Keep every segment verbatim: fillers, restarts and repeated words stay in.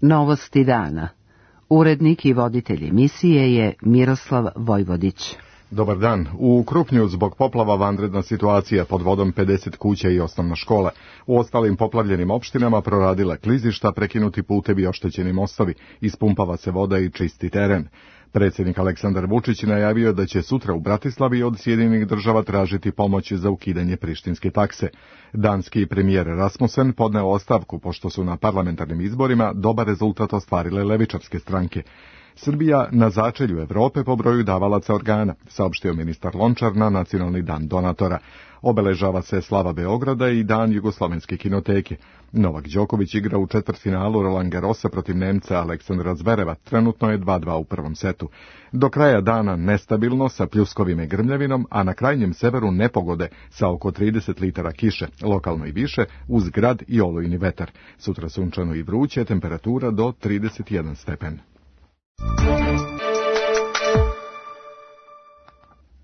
Novosti dana. Urednik i voditelj emisije je Miroslav Vojvodić. Dobar dan. U Krupnju zbog poplava vanredna situacija, pod vodom pedeset kuća i osnovna škola. U ostalim poplavljenim opštinama proradila klizišta, prekinuti putevi i oštećeni mostovi, ispumpava se voda i čisti teren. Predsjednik Aleksandar Vučić najavio da će sutra u Bratislavi od Sjedinjenih država tražiti pomoć za ukidanje prištinske takse. Danski premijer Rasmussen podneo ostavku pošto su na parlamentarnim izborima dobar rezultat ostvarile levičarske stranke. Srbija na začelju Evrope po broju davalaca organa, saopštio ministar Lončar na Nacionalni dan donatora. Obeležava se slava Beograda i dan Jugoslovenske kinoteke. Novak Đoković igra u četvrtfinalu Roland Garrosa protiv Nemca Aleksandra Zvereva, trenutno je dva dva u prvom setu. Do kraja dana nestabilno sa pljuskovima i grmljavinom, a na krajnjem severu nepogode sa oko trideset litara kiše, lokalno i više, uz grad i olujni vetar. Sutra sunčano i vruće, temperatura do trideset jedan stepen.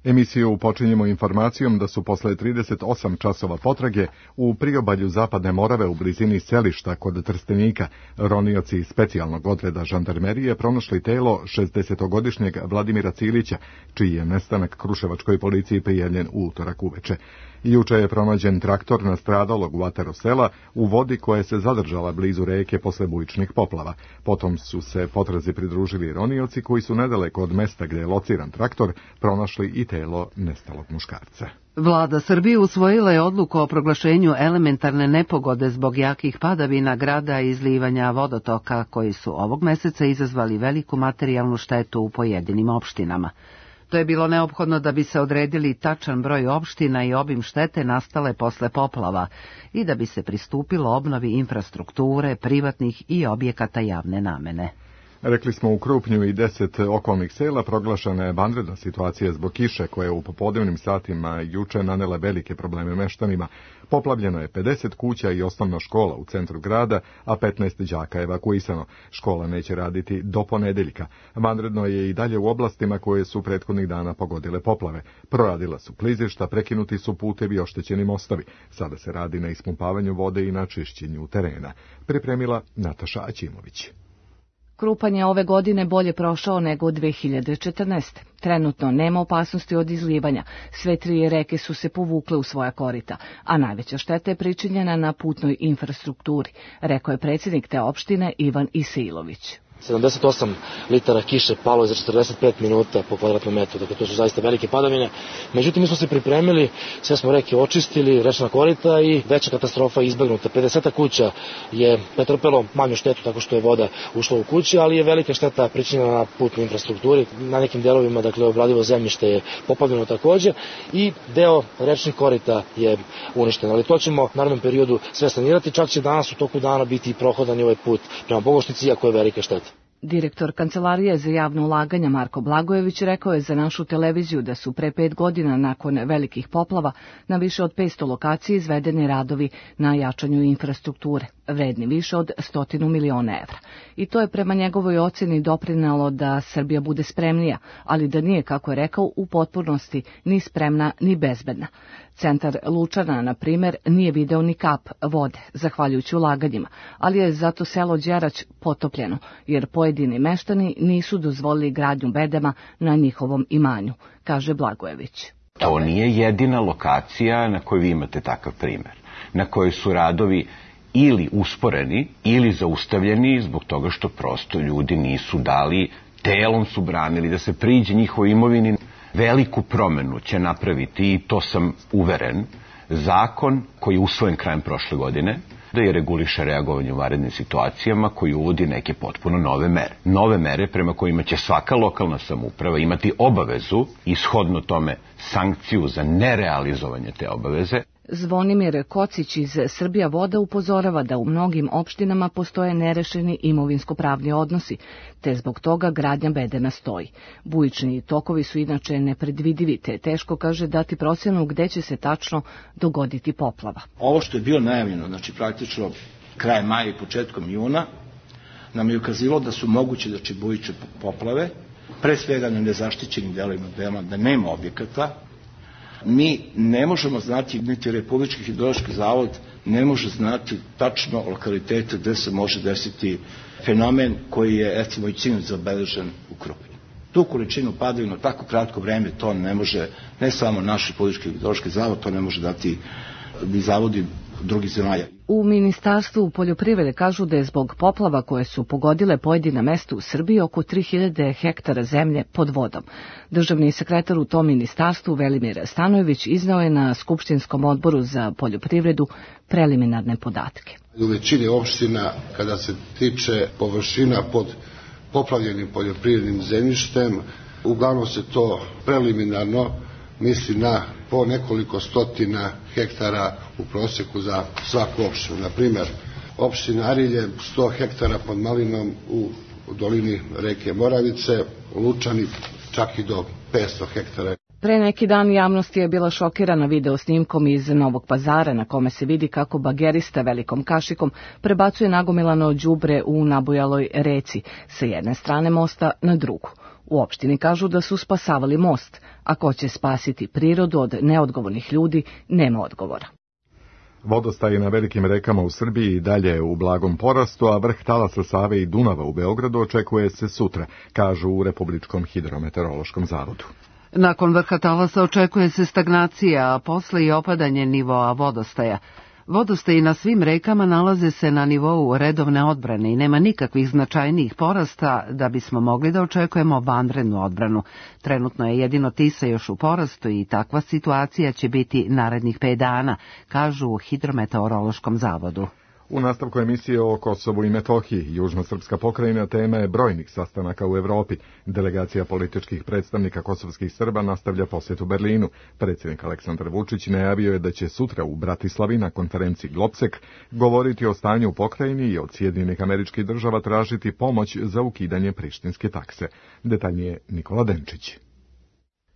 Emisiju počinjemo informacijom da su posle trideset osam časova potrage u priobalju Zapadne Morave u blizini selišta kod Trstenika ronioci specijalnog odreda žandarmerije pronašli telo šezdesetogodišnjeg Vladimira Cilića, čiji je nestanak Kruševačkoj policiji prijavljen u utorak uveče. Juče je pronađen traktor nastradalog u ataru sela u vodi koja se zadržala blizu reke posle bujičnih poplava. Potom su se potrazi pridružili ronioci koji su nedaleko od mesta gdje je lociran traktor pronašli i telo nestalog muškarca. Vlada Srbije usvojila je odluku o proglašenju elementarne nepogode zbog jakih padavina grada i izlivanja vodotoka koji su ovog meseca izazvali veliku materijalnu štetu u pojedinim opštinama. To je bilo neophodno da bi se odredili tačan broj opština i obim štete nastale posle poplava i da bi se pristupilo obnovi infrastrukture, privatnih i objekata javne namene. Rekli smo u Krupnju i deset okolnih sela proglašena je vanredna situacija zbog kiše koja je u popodnevnim satima juče nanela velike probleme meštanima. Poplavljeno je pedeset kuća i osnovna škola u centru grada, a petnaest đaka evakuisano. Škola neće raditi do ponedeljka. Vanredno je i dalje u oblastima koje su prethodnih dana pogodile poplave. Proradila su klizišta, prekinuti su putevi i oštećeni mostovi. Sada se radi na ispumpavanju vode i na čišćenju terena. Pripremila Nataša Aćimović. Krupanj je ove godine bolje prošao nego u dve hiljade četrnaeste. Trenutno nema opasnosti od izlivanja, sve tri reke su se povukle u svoja korita, a najveća šteta je pričinjena na putnoj infrastrukturi, rekao je predsjednik te opštine Ivan Isailović. sedamdeset osam litara kiše palo je za četrdeset pet minuta po kvadratnom metru, dakle to su zaista velike padavine. Međutim, mi smo se pripremili, sve smo reke očistili, rečna korita i veća katastrofa je izbegnuta. pedeset kuća je pretrpelo manju štetu tako što je voda ušla u kući, ali je velika šteta pričinjena na putnoj infrastrukturi. Na nekim delovima, dakle, obradivo zemljište je poplavljeno takođe i deo rečnih korita je uništen. Ali to ćemo u narednom periodu sve sanirati, čak će danas u toku dana biti i prohodan i ovaj put prema Bogošnici, iako je velika šteta. Direktor Kancelarije za javno ulaganja Marko Blagojević rekao je za našu televiziju da su pre pet godina nakon velikih poplava na više od petsto lokacija izvedeni radovi na jačanju infrastrukture, vredni više od stotinu miliona evra. I to je prema njegovoj ocjeni doprinelo da Srbija bude spremnija, ali da nije, kako je rekao, u potpunosti ni spremna ni bezbedna. Centar Lučana, na primjer, nije video ni kap vode, zahvaljujući ulaganjima, ali je zato selo Đerać potopljeno, jer pojedini meštani nisu dozvolili gradnju bedema na njihovom imanju, kaže Blagojević. To nije jedina lokacija na kojoj vi imate takav primjer, na kojoj su radovi ili usporeni ili zaustavljeni zbog toga što prosto ljudi nisu dali, telom su branili da se priđe njihovoj imovini. Veliku promenu će napraviti, i to sam uveren, zakon koji je usvojen krajem prošle godine, da je reguliše reagovanje u vanrednim situacijama, koji uvodi neke potpuno nove mere. Nove mere prema kojima će svaka lokalna samouprava imati obavezu, ishodno tome sankciju za nerealizovanje te obaveze. Zvonimir Kocić iz Srbija voda upozorava da u mnogim opštinama postoje nerešeni imovinsko-pravni odnosi, te zbog toga gradnja bedema stoji. Bujični tokovi su inače nepredvidivi, te teško, kaže, dati procjenu gde će se tačno dogoditi poplava. Ovo što je bilo najavljeno, znači praktično krajem maja i početkom juna, nam je ukazivalo da su moguće znači bujične poplave, pre svega na nezaštićenim delovima bedema, da nema objekata, Mi ne možemo znati, niti Republički hidrološki zavod ne može znati tačno lokalitete gde se može desiti fenomen koji je, recimo, i sinoć zabeležen u Krupnju. Tu količinu padavina u tako kratko vreme to ne može, ne samo naš Republički hidrološki zavod, to ne može dati ni zavodi drugih zemalja. U Ministarstvu poljoprivrede kažu da je zbog poplava koje su pogodile pojedina mesta u Srbiji oko tri hiljade hektara zemlje pod vodom. Državni sekretar u tom ministarstvu Velimir Stanojević iznao je na Skupštinskom odboru za poljoprivredu preliminarne podatke. U većini opština, kada se tiče površina pod poplavljenim poljoprivrednim zemljištem, uglavnom se to preliminarno misli na po nekoliko stotina hektara u proseku za svaku opštinu. Na primer, opština Arilje sto hektara pod Malinom u dolini reke Moravice, Lučani čak i do petsto hektara. Pre neki dan javnost je bila šokirana video snimkom iz Novog Pazara na kome se vidi kako bagerista velikom kašikom prebacuje nagomilano đubre u nabujaloj reci sa jedne strane mosta na drugu. U opštini kažu da su spasavali most, a ko će spasiti prirodu od neodgovornih ljudi, nema odgovora. Vodostaj na velikim rekama u Srbiji i dalje u blagom porastu, a vrh talasa Save i Dunava u Beogradu očekuje se sutra, kažu u Republičkom hidrometeorološkom zavodu. Nakon vrha talasa očekuje se stagnacija, a posle i opadanje nivoa vodostaja. Vodostaji na svim rekama nalaze se na nivou redovne odbrane i nema nikakvih značajnijih porasta da bismo mogli da očekujemo vanrednu odbranu. Trenutno je jedino Tisa još u porastu i takva situacija će biti narednih pet dana, kažu u Hidrometeorološkom zavodu. U nastavku emisije o Kosovu i Metohiji, južno-srpska pokrajina tema je brojnih sastanaka u Evropi. Delegacija političkih predstavnika kosovskih Srba nastavlja posjet u Berlinu. Predsjednik Aleksandar Vučić najavio je da će sutra u Bratislavi na konferenciji Globsek govoriti o stanju u pokrajini i od Sjedinjenih Američkih Država tražiti pomoć za ukidanje prištinske takse. Detaljnije Nikola Denčić.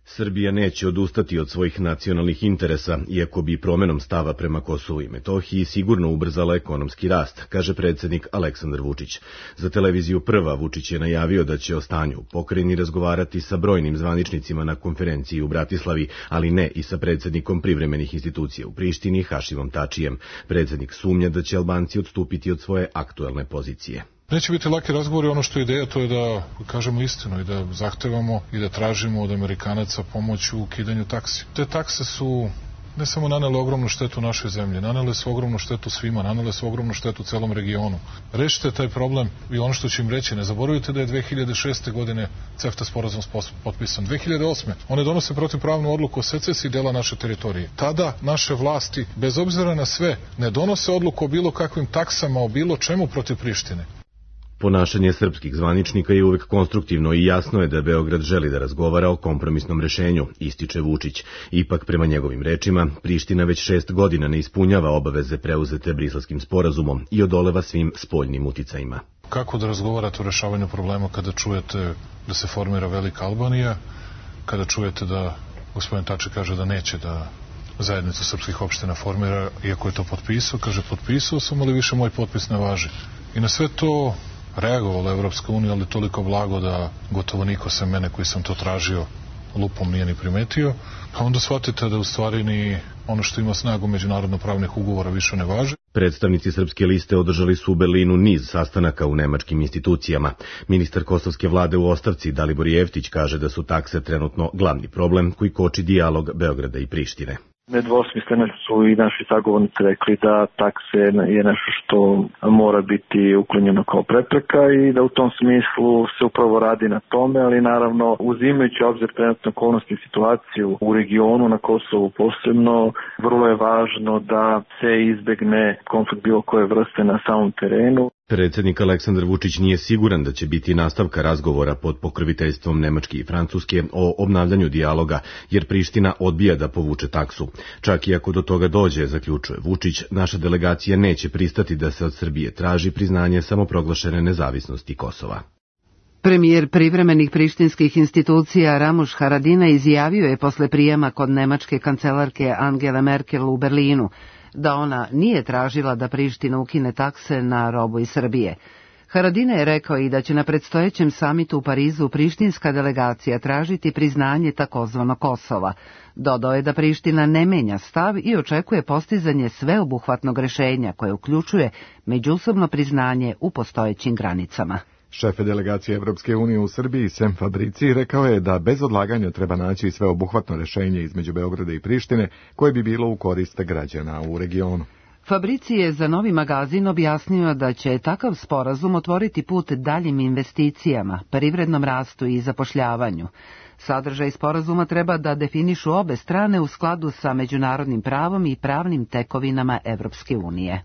Srbija neće odustati od svojih nacionalnih interesa, iako bi promenom stava prema Kosovu i Metohiji sigurno ubrzala ekonomski rast, kaže predsjednik Aleksandar Vučić. Za televiziju Prva Vučić je najavio da će o stanju u pokrajini razgovarati sa brojnim zvaničnicima na konferenciji u Bratislavi, ali ne i sa predsjednikom privremenih institucija u Prištini, Hašimom Tačijem. Predsjednik sumnja da će Albanci odstupiti od svoje aktuelne pozicije. Neće biti laki razgovori, ono što je ideja to je da kažemo istinu i da zahtevamo i da tražimo od Amerikanaca pomoć u ukidanju taksi. Te takse su ne samo nanele ogromnu štetu našoj zemlji, nanele su ogromnu štetu svima, nanele su ogromnu štetu celom regionu. Rešite taj problem i ono što ću im reći, ne zaboravite da je dve hiljade šeste. godine CEFTA sporazum potpisan. dve hiljade osme. one donose protivpravnu odluku o secesiji dela naše teritorije. Tada naše vlasti, bez obzira na sve, ne donose odluku o bilo kakvim taksama, o bilo čemu protiv Prištine. Ponašanje srpskih zvaničnika je uvek konstruktivno i jasno je da Beograd želi da razgovara o kompromisnom rešenju, ističe Vučić. Ipak, prema njegovim rečima, Priština već šest godina ne ispunjava obaveze preuzete Briselskim sporazumom i odoleva svim spoljnim uticajima. Kako da razgovarate o rešavanju problema kada čujete da se formira Velika Albanija, kada čujete da gospodin Tači kaže da neće da zajednicu srpskih opština formira, iako je to potpisao, kaže potpisao sam, ali više moj potpis ne važi. I na sve to reagovala Evropska unija, ali toliko blago da gotovo niko sem mene koji sam to tražio lupom nije ni primetio, a onda shvatite da u stvari ni ono što ima snagu međunarodno-pravnih ugovora više ne važi. Predstavnici Srpske liste održali su u Berlinu niz sastanaka u nemačkim institucijama. Ministar kosovske vlade u ostavci Dalibor Jeftić kaže da su takse trenutno glavni problem koji koči dijalog Beograda i Prištine. Nedvosmisleno su i naši sagovornici rekli da takse je nešto što mora biti uklonjeno kao prepreka i da u tom smislu se upravo radi na tome, ali naravno uzimajući obzir trenutno okolnosti i situaciju u regionu, na Kosovu posebno, vrlo je važno da se izbegne konflikt bilo koje vrste na samom terenu. Predsjednik Aleksandar Vučić nije siguran da će biti nastavka razgovora pod pokroviteljstvom Nemačke i Francuske o obnavljanju dijaloga, jer Priština odbija da povuče taksu. Čak i ako do toga dođe, zaključuje Vučić, naša delegacija neće pristati da se od Srbije traži priznanje samoproglašene nezavisnosti Kosova. Premijer privremenih prištinskih institucija Ramuš Haradinaj izjavio je posle prijema kod nemačke kancelarke Angele Merkel u Berlinu da ona nije tražila da Priština ukine takse na robu iz Srbije. Haradine je rekao i da će na predstojećem samitu u Parizu prištinska delegacija tražiti priznanje takozvano Kosova. Dodao je da Priština ne menja stav i očekuje postizanje sveobuhvatnog rešenja koje uključuje međusobno priznanje u postojećim granicama. Šef delegacije Evropske unije u Srbiji, Sem Fabrici, rekao je da bez odlaganja treba naći sveobuhvatno rešenje između Beograda i Prištine koje bi bilo u korist građana u regionu. Fabrici je za Novi magazin objasnio da će takav sporazum otvoriti put daljim investicijama, privrednom rastu i zapošljavanju. Sadržaj sporazuma treba da definišu obe strane u skladu sa međunarodnim pravom i pravnim tekovinama Evropske unije.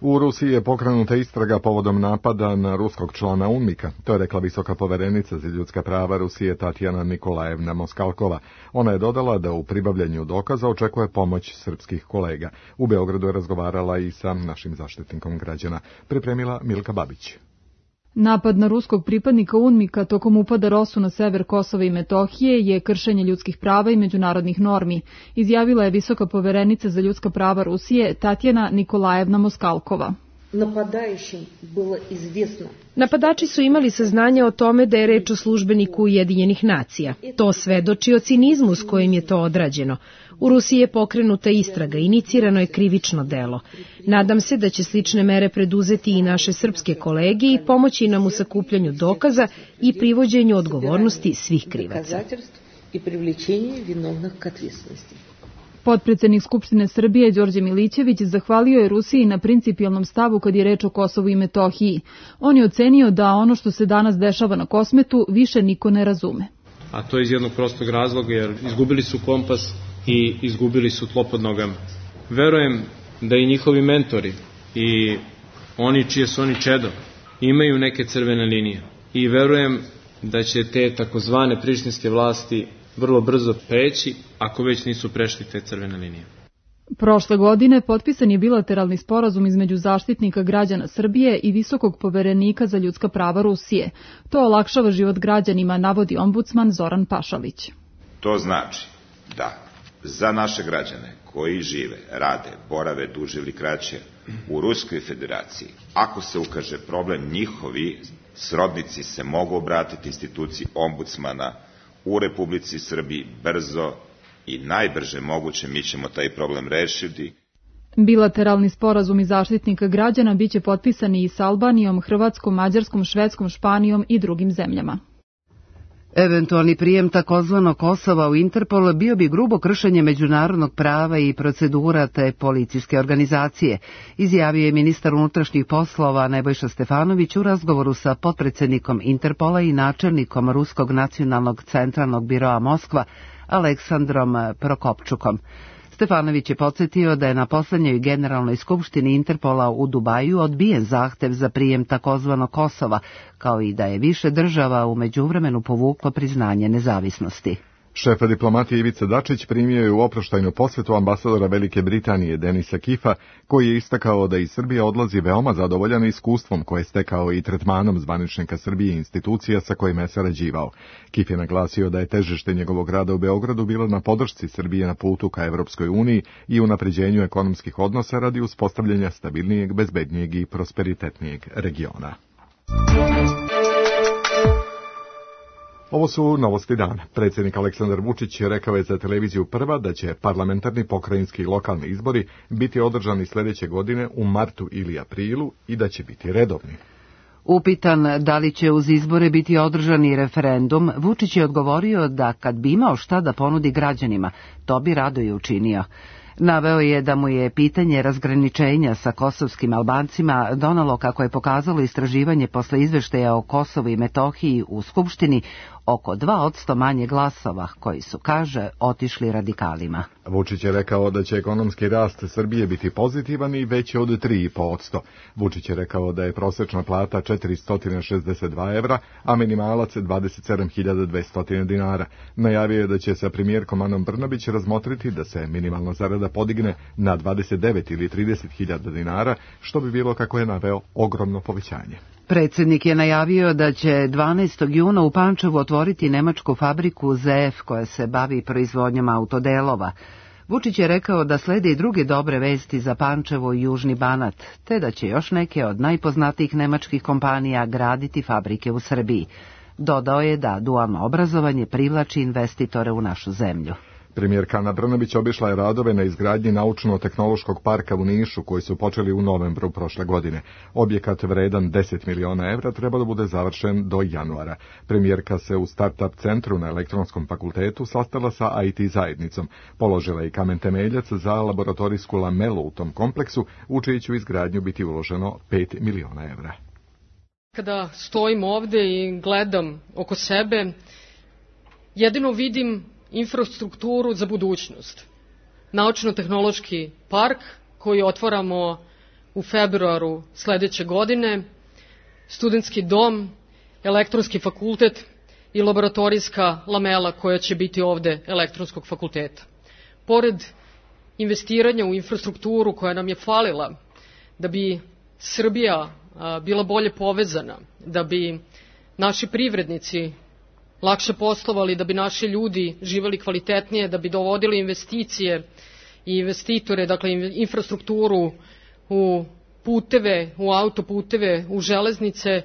U Rusiji je pokrenuta istraga povodom napada na ruskog člana UNMIK-a. To je rekla visoka poverenica za ljudska prava Rusije Tatjana Nikolajevna Moskalkova. Ona je dodala da u pribavljanju dokaza očekuje pomoć srpskih kolega. U Beogradu je razgovarala i sa našim zaštitnikom građana. Pripremila Milka Babić. Napad na ruskog pripadnika UNMIK-a tokom upada Rosu na sever Kosova i Metohije je kršenje ljudskih prava i međunarodnih normi, izjavila je visoka poverenica za ljudska prava Rusije Tatjana Nikolajevna Moskalkova. Napadači su imali saznanje o tome da je reč o službeniku Ujedinjenih nacija. To svedoči o cinizmu s kojim je to odrađeno. U Rusiji je pokrenuta istraga, inicirano je krivično delo. Nadam se da će slične mere preduzeti i naše srpske kolege i pomoći nam u sakupljanju dokaza i privođenju odgovornosti svih krivaca. Potpredsednik Skupštine Srbije Đorđe Milićević zahvalio je Rusiji na principijelnom stavu kad je reč o Kosovu i Metohiji. On je ocenio da ono što se danas dešava na Kosmetu više niko ne razume. A to je iz jednog prostog razloga jer izgubili su kompas i izgubili su tlo pod nogama. Verujem da i njihovi mentori i oni čije su oni čedo imaju neke crvene linije. I verujem da će te takozvane prištinske vlasti vrlo brzo preći, ako već nisu prešli te crvene linije. Prošle godine potpisan je bilateralni sporazum između zaštitnika građana Srbije i visokog poverenika za ljudska prava Rusije. To olakšava život građanima, navodi ombudsman Zoran Pašalić. To znači da za naše građane koji žive, rade, borave duže ili kraće u Ruskoj federaciji, ako se ukaže problem, njihovi srodnici se mogu obratiti instituciji ombudsmana u Republici Srbiji brzo i najbrže moguće. Mi ćemo taj problem rešiti. Bilateralni sporazumi zaštitnika građana biće potpisani i sa Albanijom, Hrvatskom, Mađarskom, Švedskom, Španijom i drugim zemljama. Eventualni prijem takozvanog Kosova u Interpol bio bi grubo kršenje međunarodnog prava i procedura te policijske organizacije, izjavio je ministar unutrašnjih poslova Nebojša Stefanović u razgovoru sa potpredsjednikom Interpola i načelnikom Ruskog nacionalnog centralnog biroa Moskva Aleksandrom Prokopčukom. Stefanović je podsjetio da je na poslednjoj generalnoj skupštini Interpola u Dubaju odbijen zahtev za prijem takozvanog Kosova, kao i da je više država u međuvremenu povuklo priznanje nezavisnosti. Šef diplomatije Ivica Dačić primio je u oproštajnu posvetu ambasadora Velike Britanije Denisa Kifa, koji je istakao da iz Srbije odlazi veoma zadovoljan iskustvom koje je stekao i tretmanom zvaničnika Srbije i institucija sa kojima je sarađivao. Kif je naglasio da je težište njegovog rada u Beogradu bilo na podršci Srbije na putu ka Evropskoj uniji i unapređenju ekonomskih odnosa radi uspostavljanja stabilnijeg, bezbednijeg i prosperitetnijeg regiona. Ovo su novosti dana. Predsjednik Aleksandar Vučić rekao je za televiziju Prva da će parlamentarni, pokrajinski i lokalni izbori biti održani sljedeće godine u martu ili aprilu i da će biti redovni. Upitan da li će uz izbore biti održani referendum, Vučić je odgovorio da kad bi imao šta da ponudi građanima, to bi rado i učinio. Naveo je da mu je pitanje razgraničenja sa kosovskim Albancima donalo, kako je pokazalo istraživanje posle izveštaja o Kosovu i Metohiji u Skupštini, oko dva posto manje glasova, koji su, kaže, otišli radikalima. Vučić je rekao da će ekonomski rast Srbije biti pozitivan i veći od tri i po posto. Vučić je rekao da je prosečna plata četiristo šezdeset dva evra, a minimalac dvadeset sedam hiljada dvesta dinara. Najavio je da će sa premijerkom Anom Brnabić razmotriti da se minimalna zarada podigne na dvadeset devet ili trideset hiljada dinara, što bi bilo, kako je naveo, ogromno povećanje. Predsjednik je najavio da će dvanaestog juna u Pančevu otvoriti nemačku fabriku Z F koja se bavi proizvodnjom autodelova. Vučić je rekao da slede i druge dobre vesti za Pančevo i Južni Banat, te da će još neke od najpoznatijih nemačkih kompanija graditi fabrike u Srbiji. Dodao je da dualno obrazovanje privlači investitore u našu zemlju. Premijerka Ana Brnabić obišla je radove na izgradnji naučno-tehnološkog parka u Nišu, koji su počeli u novembru prošle godine. Objekat vredan deset miliona evra treba da bude završen do januara. Premijerka se u Startup centru na Elektronskom fakultetu sastala sa I T zajednicom. Položila i kamen temeljac za laboratorijsku lamelu u tom kompleksu, u čiju će izgradnju biti uloženo pet miliona evra. Kada stojim ovde i gledam oko sebe, jedino vidim infrastrukturu za budućnost. Naučno-tehnološki park koji otvaramo u februaru sledeće godine, studentski dom, elektronski fakultet i laboratorijska lamela koja će biti ovde elektronskog fakulteta. Pored investiranja u infrastrukturu koja nam je falila da bi Srbija bila bolje povezana, da bi naši privrednici lakše poslovali, da bi naši ljudi živeli kvalitetnije, da bi dovodili investicije i investitore, dakle infrastrukturu u puteve, u autoputeve, u železnice.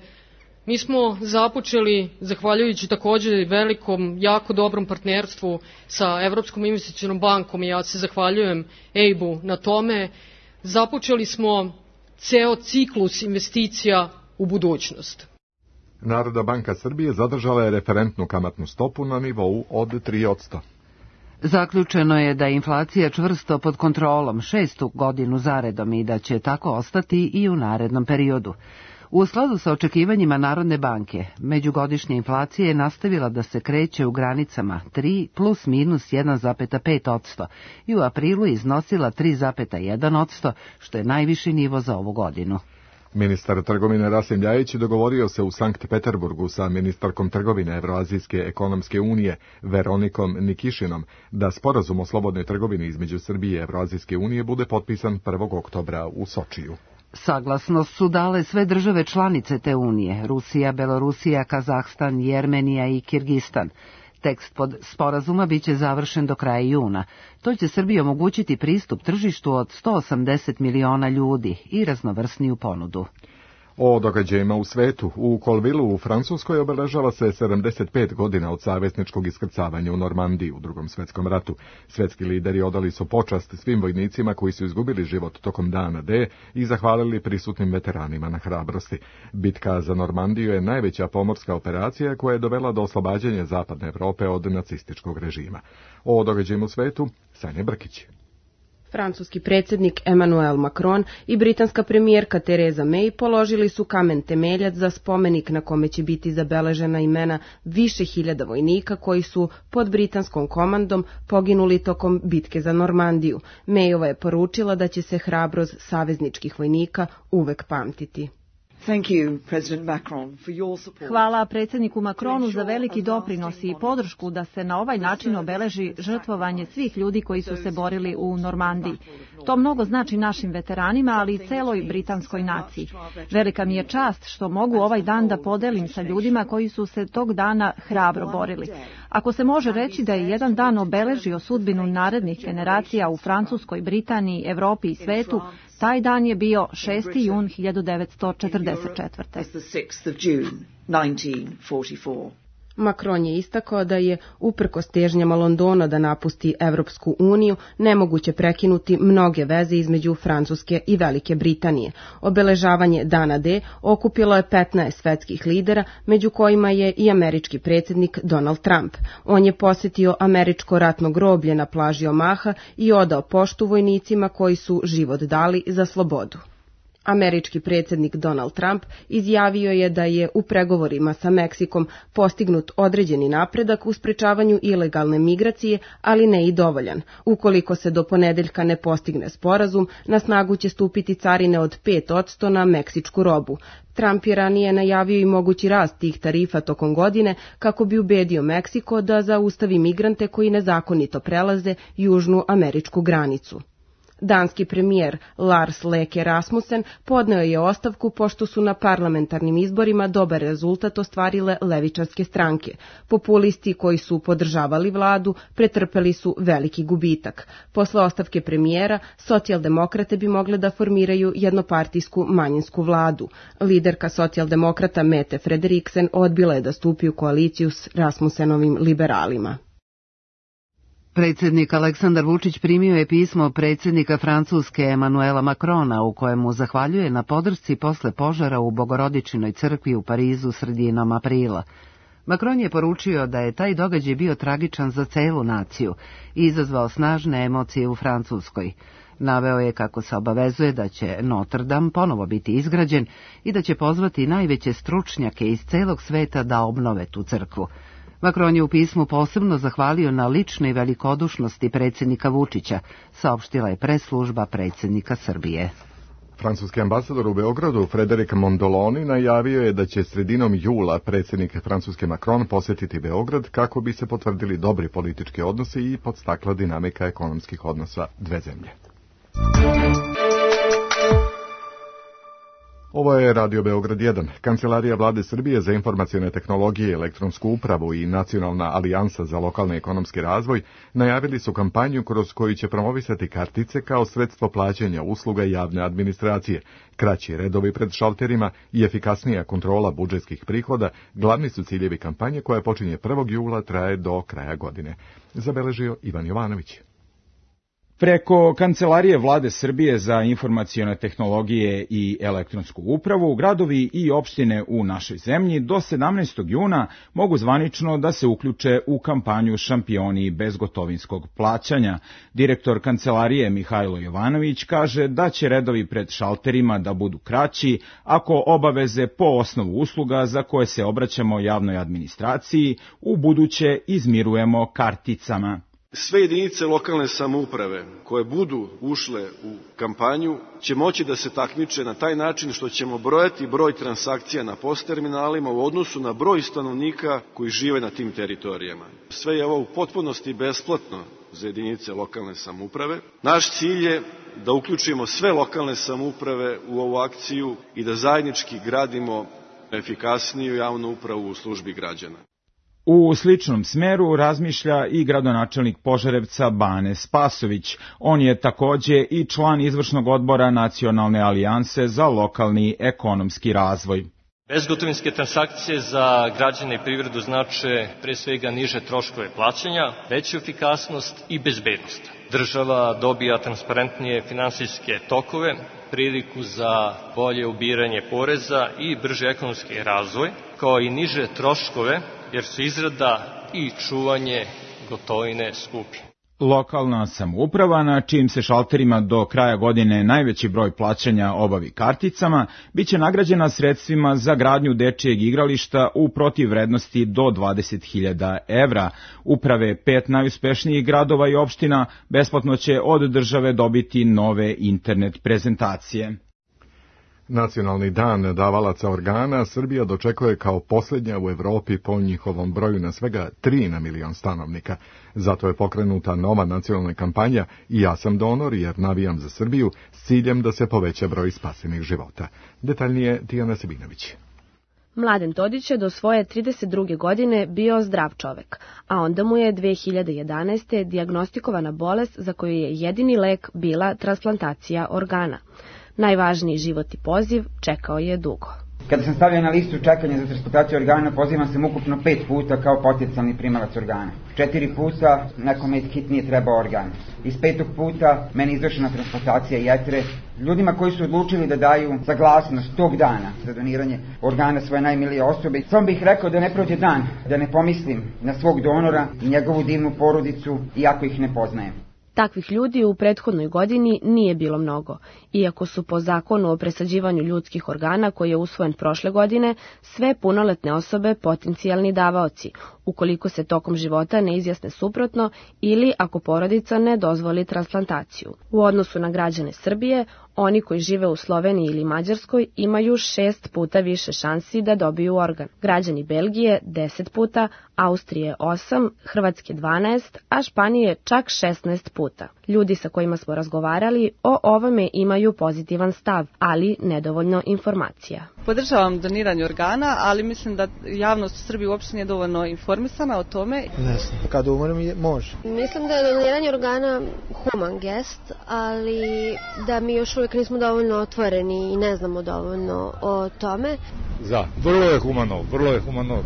Mi smo započeli, zahvaljujući takođe velikom, jako dobrom partnerstvu sa Evropskom investicionom bankom, i ja se zahvaljujem E I B-u na tome, započeli smo ceo ciklus investicija u budućnost. Narodna banka Srbije zadržala je referentnu kamatnu stopu na nivou od tri posto. Zaključeno je da je inflacija čvrsto pod kontrolom šestu godinu zaredom i da će tako ostati i u narednom periodu. U skladu sa očekivanjima Narodne banke, međugodišnja inflacija je nastavila da se kreće u granicama tri plus minus jedan zarez pet posto i u aprilu iznosila tri zarez jedan posto, što je najviši nivo za ovu godinu. Ministar trgovine Rasim Ljajić dogovorio se u Sankt Peterburgu sa ministarkom trgovine Evroazijske ekonomske unije Veronikom Nikišinom da sporazum o slobodnoj trgovini između Srbije i Evroazijske unije bude potpisan prvog oktobra u Sočiju. Saglasnost su dale sve države članice te unije, Rusija, Belorusija, Kazahstan, Jermenija i Kirgistan. Tekst pod sporazuma biće završen do kraja juna. To će Srbiji omogućiti pristup tržištu od sto osamdeset miliona ljudi i raznovrsniju ponudu. O događajima u svetu. U Colvillu u Francuskoj obeležava se sedamdeset pet godina od savezničkog iskrcavanja u Normandiji u Drugom svetskom ratu. Svetski lideri odali su počast svim vojnicima koji su izgubili život tokom dana D i zahvalili prisutnim veteranima na hrabrosti. Bitka za Normandiju je najveća pomorska operacija koja je dovela do oslobađanja Zapadne Evrope od nacističkog režima. O događajima u svetu, Sanja Brkić. Francuski predsjednik Emmanuel Macron i britanska premijerka Theresa May položili su kamen temeljac za spomenik na kome će biti zabeležena imena više hiljada vojnika koji su pod britanskom komandom poginuli tokom bitke za Normandiju. Mayova je poručila da će se hrabrost savezničkih vojnika uvek pamtiti. Hvala predsjedniku Macronu za veliki doprinos i podršku da se na ovaj način obeleži žrtvovanje svih ljudi koji su se borili u Normandiji. To mnogo znači našim veteranima, ali i celoj britanskoj naciji. Velika mi je čast što mogu ovaj dan da podelim sa ljudima koji su se tog dana hrabro borili. Ako se može reći da je jedan dan obeležio sudbinu narednih generacija u Francuskoj, Britaniji, Evropi i svetu, taj dan je bio šesti jun hiljadu devetsto četrdeset četvrte. Macron je istakao da je, uprkos težnjama Londona da napusti Evropsku uniju, nemoguće prekinuti mnoge veze između Francuske i Velike Britanije. Obeležavanje Dana D okupilo je petnaest svetskih lidera, među kojima je i američki predsjednik Donald Trump. On je posjetio američko ratno groblje na plaži Omaha i odao poštu vojnicima koji su život dali za slobodu. Američki predsjednik Donald Trump izjavio je da je u pregovorima sa Meksikom postignut određeni napredak u sprečavanju ilegalne migracije, ali ne i dovoljan. Ukoliko se do ponedeljka ne postigne sporazum, na snagu će stupiti carine od pet posto na meksičku robu. Trump je ranije najavio i mogući rast tih tarifa tokom godine kako bi ubedio Meksiko da zaustavi migrante koji nezakonito prelaze južnu američku granicu. Danski premijer Lars Løkke Rasmussen podneo je ostavku pošto su na parlamentarnim izborima dobar rezultat ostvarile levičarske stranke. Populisti koji su podržavali vladu pretrpeli su veliki gubitak. Posle ostavke premijera, socijaldemokrate bi mogle da formiraju jednopartijsku manjinsku vladu. Liderka socijaldemokrata Mette Frederiksen odbila je da stupi u koaliciju s Rasmussenovim liberalima. Predsjednik Aleksandar Vučić primio je pismo predsjednika Francuske Emanuela Macrona u kojemu zahvaljuje na podršci posle požara u Bogorodičinoj crkvi u Parizu sredinom aprila. Macron je poručio da je taj događaj bio tragičan za celu naciju i izazvao snažne emocije u Francuskoj. Naveo je kako se obavezuje da će Notre Dame ponovo biti izgrađen i da će pozvati najveće stručnjake iz celog sveta da obnove tu crkvu. Macron je u pismu posebno zahvalio na ličnoj velikodušnosti predsjednika Vučića, saopštila je press-služba predsjednika Srbije. Francuski ambasador u Beogradu, Frederic Mondoloni, najavio je da će sredinom jula predsjednik Francuske Macron posjetiti Beograd kako bi se potvrdili dobri politički odnosi i podstakla dinamika ekonomskih odnosa dve zemlje. Ovo je Radio Beograd jedan. Kancelarija Vlade Srbije za informacione tehnologije, elektronsku upravu i Nacionalna alijansa za lokalni ekonomski razvoj najavili su kampanju kroz koju će promovisati kartice kao sredstvo plaćanja usluga javne administracije. Kraći redovi pred šalterima i efikasnija kontrola budžetskih prihoda glavni su ciljevi kampanje koja počinje prvog jula, traje do kraja godine. Zabeležio Ivan Jovanović. Preko Kancelarije Vlade Srbije za informacione tehnologije i elektronsku upravu, gradovi i opštine u našoj zemlji do sedamnaestog juna mogu zvanično da se uključe u kampanju Šampioni bezgotovinskog plaćanja. Direktor Kancelarije Mihajlo Jovanović kaže da će redovi pred šalterima da budu kraći ako obaveze po osnovu usluga za koje se obraćamo javnoj administraciji u buduće izmirujemo karticama. Sve jedinice lokalne samouprave koje budu ušle u kampanju će moći da se takmiče na taj način što ćemo brojati broj transakcija na post terminalima u odnosu na broj stanovnika koji žive na tim teritorijama. Sve je ovo u potpunosti besplatno za jedinice lokalne samouprave. Naš cilj je da uključimo sve lokalne samouprave u ovu akciju i da zajednički gradimo efikasniju javnu upravu u službi građana. U sličnom smeru razmišlja i gradonačelnik Požarevca Bane Spasović. On je takođe i član izvršnog odbora Nacionalne alijanse za lokalni ekonomski razvoj. Bezgotovinske transakcije za građane i privredu znače pre svega niže troškove plaćanja, veću efikasnost i bezbednost. Država dobija transparentnije finansijske tokove, priliku za bolje ubiranje poreza i brži ekonomski razvoj, kao i niže troškove, jer su izrada i čuvanje gotovine skupi. Lokalna samouprava, na čijim se šalterima do kraja godine najveći broj plaćanja obavi karticama, biće nagrađena sredstvima za gradnju dečijeg igrališta u protivvrednosti do dvadeset hiljada evra. Uprave pet najuspešnijih gradova i opština besplatno će od države dobiti nove internet prezentacije. Nacionalni dan davalaca organa Srbija dočekuje kao posljednja u Evropi po njihovom broju na svega tri na milion stanovnika. Zato je pokrenuta nova nacionalna kampanja I ja sam donor jer navijam za Srbiju s ciljem da se poveća broj spasenih života. Detaljnije Tijana Sebinović. Mladen Todić je do svoje trideset druge godine bio zdrav čovek, a onda mu je dve hiljade jedanaeste. dijagnostikovana bolest za koju je jedini lek bila transplantacija organa. Najvažniji životni poziv čekao je dugo. Kada sam stavljen na listu čekanja za transplantaciju organa, pozivam sam ukupno pet puta kao potencijalni primalac organa. Četiri puta nekome hitnije trebao organ. Iz petog puta meni izvršena transplantacija jetre. Ljudima koji su odlučili da daju saglasnost tog dana za doniranje organa svoje najmilije osobe, samo bih rekao da ne prođe dan da ne pomislim na svog donora i njegovu divnu porodicu, iako ih ne poznajem. Takvih ljudi u prethodnoj godini nije bilo mnogo, iako su po zakonu o presađivanju ljudskih organa koji je usvojen prošle godine sve punoletne osobe potencijalni davaoci, ukoliko se tokom života ne izjasne suprotno ili ako porodica ne dozvoli transplantaciju. U odnosu na građane Srbije, Oni koji žive u Sloveniji ili Mađarskoj imaju šest puta više šansi da dobiju organ. Građani Belgije deset puta, Austrije osam, Hrvatske dvanaest, a Španije čak šesnaest puta. Ljudi sa kojima smo razgovarali o ovome imaju pozitivan stav, ali nedovoljno informacija. Podržavam doniranje organa, ali mislim da javnost u Srbiji uopšte nije dovoljno informisana o tome. Ne znam, kad umrem može. Mislim da je doniranje organa human gest, ali da mi još uvijek nismo dovoljno otvoreni i ne znamo dovoljno o tome. Za, vrlo je humano, vrlo je humano.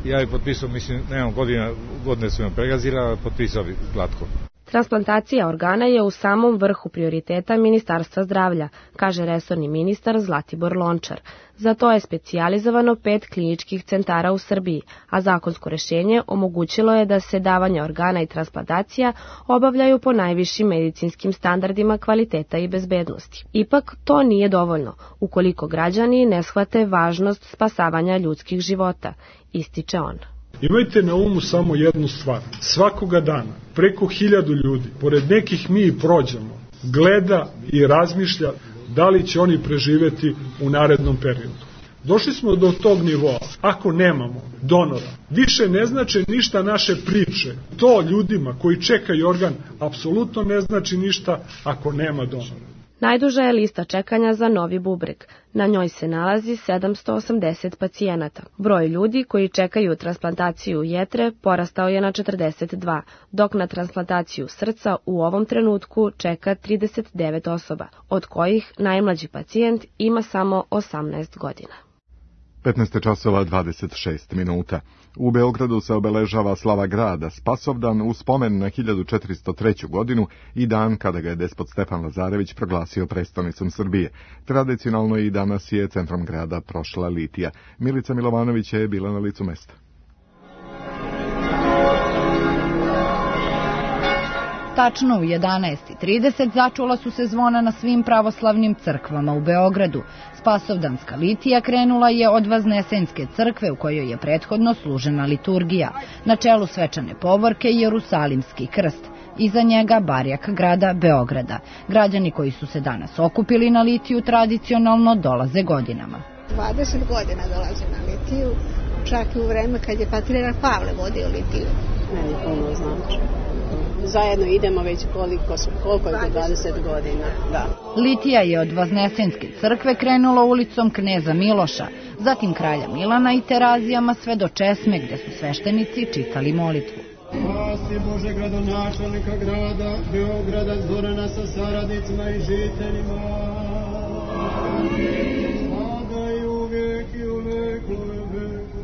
Ja bih potpisao, mislim, nemam godina, godine su me pregazila, potpisao bih glatko. Transplantacija organa je u samom vrhu prioriteta Ministarstva zdravlja, kaže resorni ministar Zlatibor Lončar. Za to je specijalizovano pet kliničkih centara u Srbiji, a zakonsko rešenje omogućilo je da se davanje organa i transplantacija obavljaju po najvišim medicinskim standardima kvaliteta i bezbednosti. Ipak to nije dovoljno, ukoliko građani ne shvate važnost spasavanja ljudskih života, ističe on. Imajte na umu samo jednu stvar. Svakoga dana, preko hiljadu ljudi, pored nekih mi prođemo, gleda i razmišlja da li će oni preživeti u narednom periodu. Došli smo do tog nivoa. Ako nemamo donora, više ne znače ništa naše priče. To ljudima koji čekaju organ apsolutno ne znači ništa ako nema donora. Najduža je lista čekanja za novi bubreg. Na njoj se nalazi sedamsto osamdeset pacijenata. Broj ljudi koji čekaju transplantaciju jetre porastao je na četrdeset dva, dok na transplantaciju srca u ovom trenutku čeka trideset devet osoba, od kojih najmlađi pacijent ima samo osamnaest godina. petnaest časova dvadeset šest minuta. U Beogradu se obeležava slava grada Spasovdan u spomen na hiljadu četiristo treću. godinu i dan kada ga je despot Stefan Lazarević proglasio prestonicom Srbije. Tradicionalno i danas je centrom grada prošla litija. Milica Milovanović je bila na licu mesta. Tačno u jedanaest i trideset začula su se zvona na svim pravoslavnim crkvama u Beogradu. Spasovdanska litija krenula je od Vaznesenske crkve u kojoj je prethodno služena liturgija. Na čelu svečane povorke je Jerusalimski krst. Iza njega barjak grada Beograda. Građani koji su se danas okupili na litiju tradicionalno dolaze godinama. dvadeset godina dolaze na litiju, čak i u vreme kad je patrijarh Pavle vodio litiju. Meni puno znači. Zajedno idemo već koliko, su, koliko je to dvadeset godina. Da. Litija je od Vaznesenske crkve krenula ulicom Kneza Miloša, zatim kralja Milana i Terazijama sve do Česme gde su sveštenici čitali molitvu. Spasi Bože gradonačelnika grada Beograda Zorana sa saradnicima i žiteljima. Sada i uvijek i u veku i veku.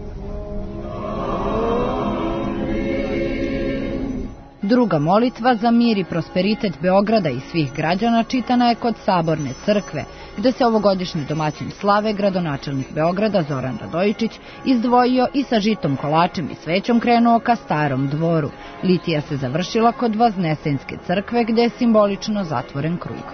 Druga molitva za mir i prosperitet Beograda i svih građana čitana je kod Saborne crkve, gde se ovogodišnji domaćin slave gradonačelnik Beograda Zoran Radojičić izdvojio i sa žitom, kolačem i svećom krenuo ka Starom dvoru. Litija se završila kod Vaznesenske crkve gde je simbolično zatvoren krug.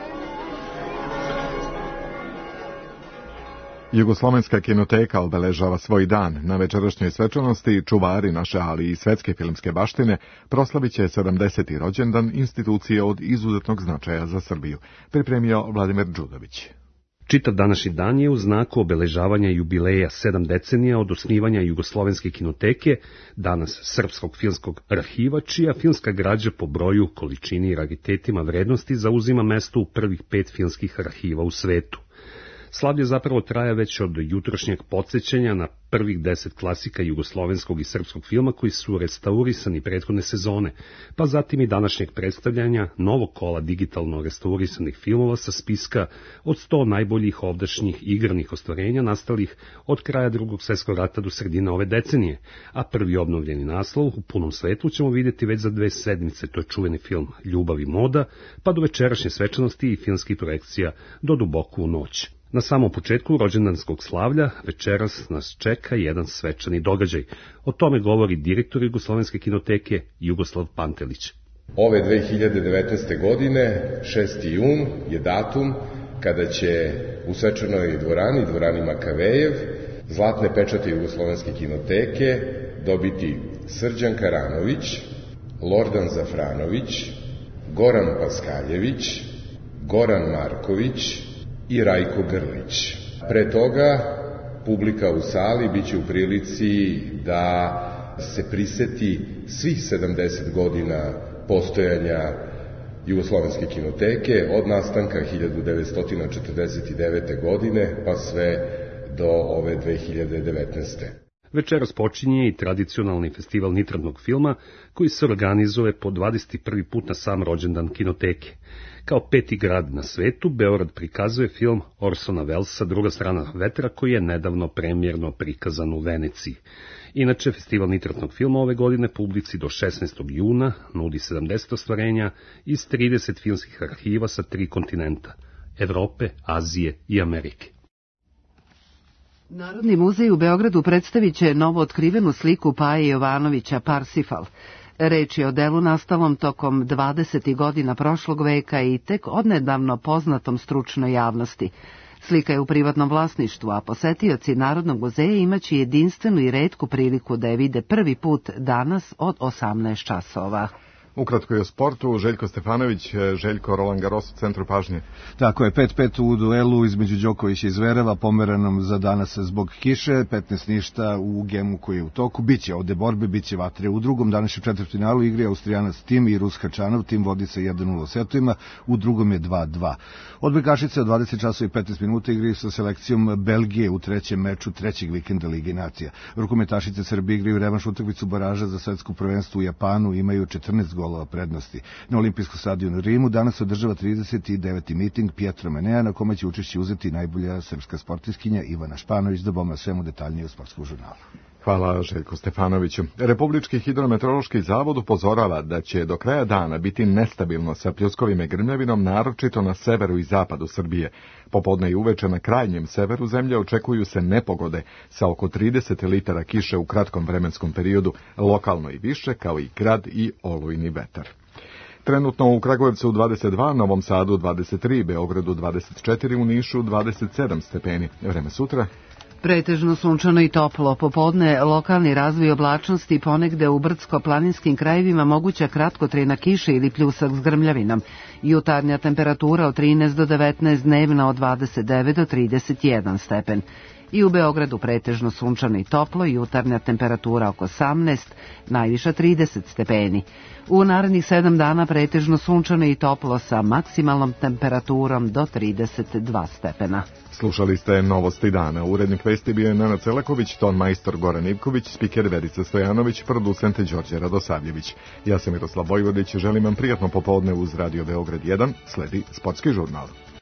Jugoslovenska kinoteka obeležava svoj dan. Na večerašnjoj svečanosti čuvari naše, ali i svetske filmske baštine proslavit će sedamdeseti rođendan institucije od izuzetnog značaja za Srbiju. Pripremio Vladimir Đudović. Čitav današnji dan je u znaku obeležavanja jubileja sedam decenija od osnivanja Jugoslovenske kinoteke, danas Srpskog filmskog arhiva, čija filmska građa po broju, količini i raritetima vrednosti zauzima mesto u prvih pet filmskih arhiva u svetu. Slavlje zapravo traja već od jutrošnjeg podsjećanja na prvih deset klasika jugoslovenskog i srpskog filma koji su restaurisani prethodne sezone, pa zatim i današnjeg predstavljanja novog kola digitalno restaurisanih filmova sa spiska od sto najboljih ovdašnjih igranih ostvarenja nastalih od kraja Drugog svjetskog rata do sredine ove decenije, a prvi obnovljeni naslov u punom svetlu ćemo vidjeti već za dve sedmice, to je čuveni film Ljubav i moda, pa do večerašnje svečanosti i filmskih projekcija do duboko u noć. Na samom početku rođendanskog slavlja večeras nas čeka jedan svečani događaj. O tome govori direktor Jugoslovenske kinoteke Jugoslav Pantelić. Ove dve hiljade devetnaeste. godine, šesti jun, je datum kada će u svečanoj dvorani, dvorani Makavejev, zlatne pečate Jugoslovenske kinoteke dobiti Srđan Karanović, Lordan Zafranović, Goran Paskaljević, Goran Marković i Rajko Grlić. Pre toga publika u sali biće u prilici da se priseti svih sedamdeset godina postojanja Jugoslovenske kinoteke od nastanka hiljadu devetsto četrdeset devete. godine pa sve do ove dve hiljade devetnaeste. Večeras počinje i tradicionalni festival nitradnog filma koji se organizuje po dvadeset prvi put na sam rođendan kinoteke. Kao peti grad na svetu, Beograd prikazuje film Orsona Wellesa Druga strana vetra koji je nedavno premijerno prikazan u Veneciji. Inače, festival nitratnog filma ove godine publici do šesnaestog juna nudi sedamdeset ostvarenja iz trideset filmskih arhiva sa tri kontinenta, Evrope, Azije i Amerike. Narodni muzej u Beogradu predstavit će novo otkrivenu sliku Paje Jovanovića Parsifal. Reč je o delu nastalom tokom dvadesetih godina prošlog veka i tek odnedavno poznatom stručnoj javnosti. Slika je u privatnom vlasništvu, a posetioci Narodnog muzeja imaće jedinstvenu i retku priliku da je vide prvi put danas od osamnaest časova. Ukratko i o sportu, Željko Stefanović, Željko Roland Garros u centru pažnje. Tako je, pet pet u duelu između Đokovića i Zvereva, pomeranom za danas zbog kiše, petnaest ništa u gemu koji je u toku. Biće ovde borbe, biće vatre. U drugom današnjem četvrtfinalu igri Austrijanac Tim i Rus Hačanov, Tim vodi sa jedan nula setovima, u drugom je dva dva. Odbojkašice od dvadeset časova i petnaest minuta igraju sa selekcijom Belgije u trećem meču trećeg vikenda Lige nacija. Rukometašice Srbije igraju revanš utakmicu baraža za svetsko prvenstvo u Japanu, imaju četrnaest golova prednosti. Na olimpijskom stadionu u Rimu danas održava trideset deveti miting Pietro Menea, na kome će učešće uzeti najbolja srpska sportiskinja Ivana Španović. Da bom na svemu detaljnije u sportskom žurnalu. Hvala Željku Stefanoviću. Republički hidrometeorološki zavod upozorava da će do kraja dana biti nestabilno sa pljuskovima i grmljavinom, naročito na severu i zapadu Srbije. Popodne i uveče na krajnjem severu zemlje očekuju se nepogode sa oko trideset litara kiše u kratkom vremenskom periodu, lokalno i više, kao i grad i olujni vetar. Trenutno u Kragujevcu dvadeset dva, Novom Sadu dvadeset tri, Beogradu dvadeset četiri, u Nišu dvadeset sedam stepeni. Vreme sutra? Pretežno sunčano i toplo. Popodne lokalni razvoj oblačnosti, ponegde u brdsko-planinskim krajevima moguća kratkotrajna kiša ili pljusak s grmljavinom. Jutarnja temperatura od trinaest do devetnaest, dnevna od dvadeset devet do trideset jedan stepen. I u Beogradu pretežno sunčano i toplo, jutarnja temperatura oko osamnaest, najviša trideset stepeni. U narednih sedam dana pretežno sunčano i toplo sa maksimalnom temperaturom do trideset dva stepena. Slušali ste Novosti dana. Urednik vesti bio je Nenad Celaković, ton majstor Goran Ivković, spiker Verica Stojanović, producent Đorđe Radosavljević. Ja sam Miroslav Vojvodić, želim vam prijatno popodne uz Radio Beograd jedan, sledi sportski žurnal.